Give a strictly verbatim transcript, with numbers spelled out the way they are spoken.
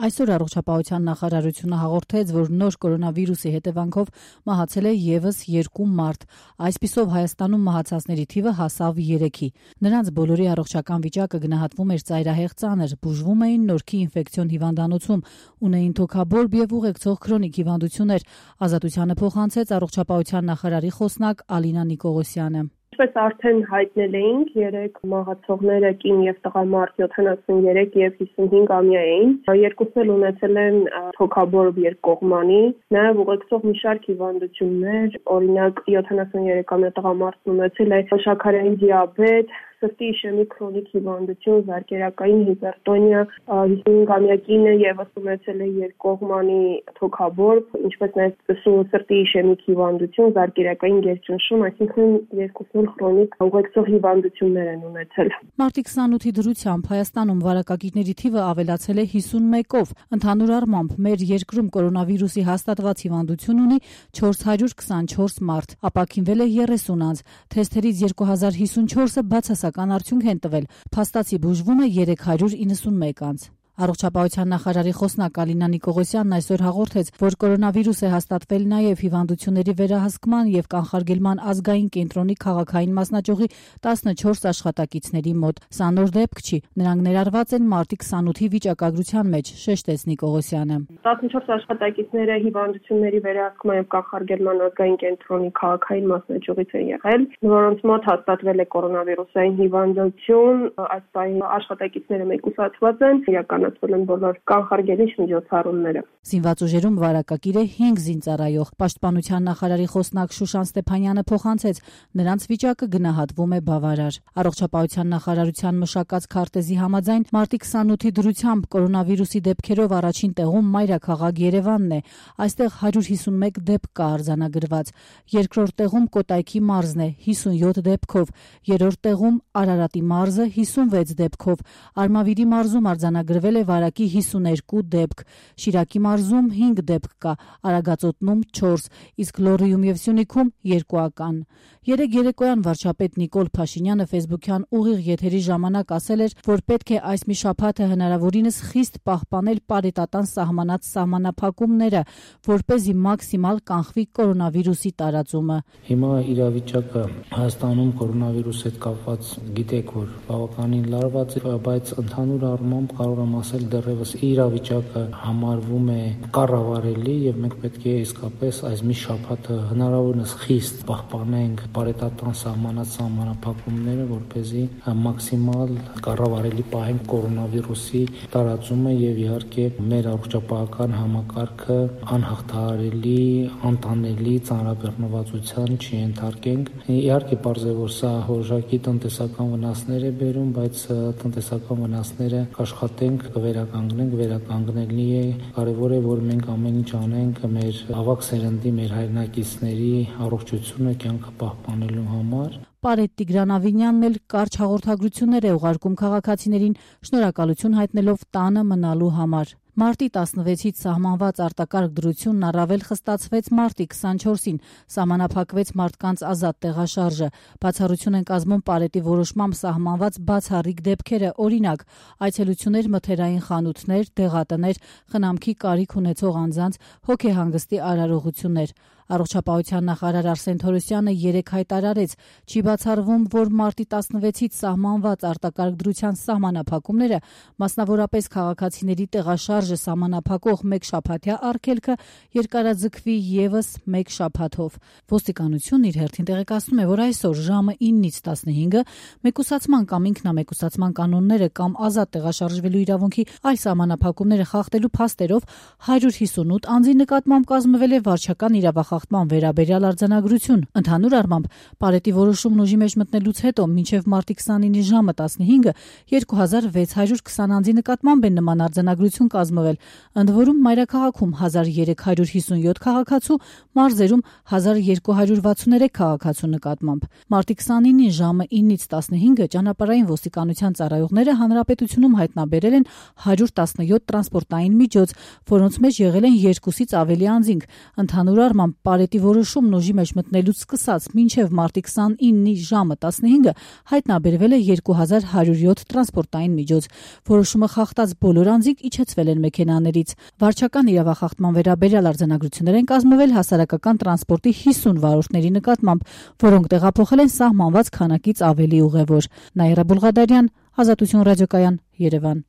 Այսօր առողջապահության նախարարությունը հաղորդեց, որ նոր կորոնավիրուսի հետևանքով մահացել է ևս երկու մարդ։ Այսպիսով Հայաստանում մահացածների թիվը հասավ երեքի։ Նրանց բոլորի առողջական վիճակը գնահատվում էր ծայրահեղ ծանր, բուժվում էին Նորքի ինֆեկցիոն հիվանդանոցում, ունեին թոքաբորբ եւ ուղեկցող քրոնիկ հիվանդություններ։ Ազատությանը փոխանցեց առողջապահության նախարարի խոսնակ Ալինա Նիկողոսյանը։ Ինչպես արդեն հայտնել էինք, երեք մահացողները կին եւ տղամարդ յոթանասուններեք եւ հիսունհինգամյա էին։ Երկուսն էլ ունեցել են թոքաբորբ երկկողմանի, նաեւ ուղեկցող մի շարք հիվանդություններ, օրինակ յոթանասուներեքամյա տղամարդն ունեցել է շաքարային դիաբետ, սրտի իշեմիկ քրոնիկ հիվանդություն, զարկերակային հիպերտոնիա, հիսունհինգամյա կինը եւս ունեցել է երկկողմանի թոքաբորբ, ինչպես նաեւ սրտի իշեմիկ հիվանդություն, զարկերակային գերճնշում, այսինքն երկուսն քրոնիկ ուղեկցող հիվանդություններ են ունեցել։ Մարտի քսանութի դրությամբ Հայաստանում վարակագիրների թիվը ավելացել է հիսունմեկով։ Ընդհանուր առմամբ մեր երկրում կորոնավիրուսի հաստատված հիվանդություն ունի չորս հարյուր քսանչորս մարդ, ապաքինվել է երեսուն անձ, թեստերից երկու հազար հիսունչորսը բացասական արդյունք են տվել, փաստացի բուժվում է երեք հարյուր իննսունմեկ անձ։ Առողջապահության նախարարի խոսնակ Ալինա Նիկողոսյանն այսօր հաղորդեց, որ կորոնավիրուս է հաստատվել նաև հիվանդությունների վերահսկման եւ կանխարգելման ազգային կենտրոնի քաղաքային մասնաճյուղի տասնչորս աշխատակիցների մոտ։ Սա նոր դեպք չի, նրանք ներառված են մարտի քսանութի վիճակագրության մեջ, շեշտեց Նիկողոսյանը։ տասնչորս աշխատակիցները հիվանդությունների վերահսկման եւ կանխարգելման ազգային կենտրոնի քաղաքային մասնաճյուղից են եղել, որոնց մոտ հաստատվել է կորոնավիրուսային հիվանդություն, այս պահին աշխատակիցները մեկուսացված են, իրականացվել են բոլոր կանխարգելիչ միջոցառումները։ Զինված ուժերում վարակագիր է հինգ զինծառայող։ Պաշտպանության նախարարի խոսնակ Շուշան Ստեփանյանը փոխանցեց, նրանց վիճակը գնահատվում է բավարար։ Առողջապահության նախարարության մշակած քարտեզի համաձայն մարտի քսանութի դրությամբ կորոնավիրուսի դեպքերով առաջին տեղում մայրաքաղաք Երևանն է։ Այստեղ հարյուր հիսունմեկ դեպք կա արձանագրված։ Երկրորդ տեղում Կոտայքի մարզն է հիսունյոթ դեպքով, երրորդ տեղում Արարատի մարզը հիսունվեց դեպքով։ Արմավիրի մարզում արձանագրվել է վարակի հիսուներկու դեպք, Շիրակի մարզում հինգ դեպք կա, Արագածոտնում չորս, իսկ Լոռիում եւ Սյունիքում երկուական։ Երեկ երեկոյան վարչապետ Նիկոլ Փաշինյանը ֆեյսբուքյան ուղիղ եթերի ժամանակ ասել էր, որ պետք է այս մի շաբաթը հնարավորինս խիստ պահպանել պարետատան սահմանած սահմանափակումները, որպեսզի մաքսիմալ կանխվի կորոնավիրուսի տարածումը։ Հիմա իրավիճակը Հայաստանում կորոնավիրուսի հետ կապված գիտեք, որ բավականին լարված է, բայց ընդհանուր առմամբ կարող եմ ասել դեռևս իրավիճակը համարվում է կառավարելի եւ մենք պետք է իսկապես այս մի շաբաթը հնարավորինս խիստ պահպանենք պարետատան սահմանած սահմանափակումները, որպեսզի մաքսիմալ կառավարելի պահենք կորոնավիրուսի տարածումը եւ իհարկե մեր առողջապահական համակարգը անհաղթահարելի, անտանելի ծանրաբեռնվածության չենթարկենք։ Իհարկե պարզ է, որ սա հորժակի տնտեսական վնասներ է բերում, բայց տնտեսական վնասները կաշխատենք, կվերականգնենք, վերականգնելի է։ Կարևոր է, որ մենք ամեն ինչ անենք մեր ավակ սերնդի, մեր հայրենակիցների առողջությունը կյանքը պահպանելու համար։ Պարետ Տիգրան Ավինյանն էլ կարճ հաղորդագրություններ է ուղարկում քաղաքացիներին, շնորհակալություն հայտնելով տանը մնալու համար։ Մարտի տասնվեցից սահմանված արտակարգ դրությունն առավել խստացվեց մարտի քսանչորսին, սահմանափակվեց մարդկանց ազատ տեղաշարժը։ Բացառություն են կազմում Պարետի որոշմամբ սահմանված բացառիկ դեպքերը, օրինակ, այցելություններ մթերային խանութներ, դեղատներ, խնամքի կարիք ունեցող անձանց, հոգեհանգստի արարողություններ։ Առողջապահության նախարար Արսեն Թորոսյանը երեկ հայտարարեց, չի բացառվում, որ մարտի տասնվեցից սահմանված արտակարգ դրության սահմանափակումները, մասնավորապես քաղաքացիների տեղաշարժը սահմանափակող մեկ շաբաթյա արգելքը երկարաձգվի եւս մեկ շաբաթով։ Ոստիկանությունն իր հերթին տեղեկացնում է, որ այսօր ժամը իննից տասնհինգը մեկուսացման կամ ինքնամեկուսացման կանոնները կամ ազատ տեղաշարժվելու իրավունքի այլ սահմանափակումները խախտելու փաստերով հարյուր հիսունութ անձի նկատմամբ կազմվել է վարչական իրավախախտման վերաբերյալ արձանագրություն։ Ընդհանուր առմամբ Պարետի որոշումն ուժի մեջ մտնելուց հետո մինչև մարտի քսանինի ժամը տասնհինգը երկու հազար վեց հարյուր քսան անձի նկատմամբ են նման արձանագրություն կազմվել, ընդ որում մայրաքաղաքում հազար երեք հարյուր հիսունյոթ քաղաքացու, մարզերում հազար երկու հարյուր վաթսուներեք քաղաքացու նկատմամբ։ Մարտի քսանինին ժամը իննից տասնհինգը ճանապարհային ոստիկանության ծառայողները հանրապետությունում հայտնաբերել են հարյուր տասնյոթ տրանսպորտային միջոց, որոնց մեջ եղել են երկուսից ավելի անձինք։ Ընդհանուր առմամբ պարետի որոշումն ուժի մեջ մտնելուց սկսած մինչև մարտի քսանինի ժամը տասնհինգը հայտնաբերվել է երկու հազար հարյուր յոթ տրանսպորտային միջոց։ Որոշումը խախտած բոլոր անձինք իջեցվել են մեքենաներից։ Վարչական իրավախախտման վերաբերյալ արձանագրություններ են կազմվել հասարակական տրանսպորտի հիսուն վարորդների նկատմամբ, որոնք տեղափոխել են սահմանված քանակից ավելի ուղևոր։ Նաիրա Բուլղադարյան, Ազատություն ռադիոկայան, Երևան։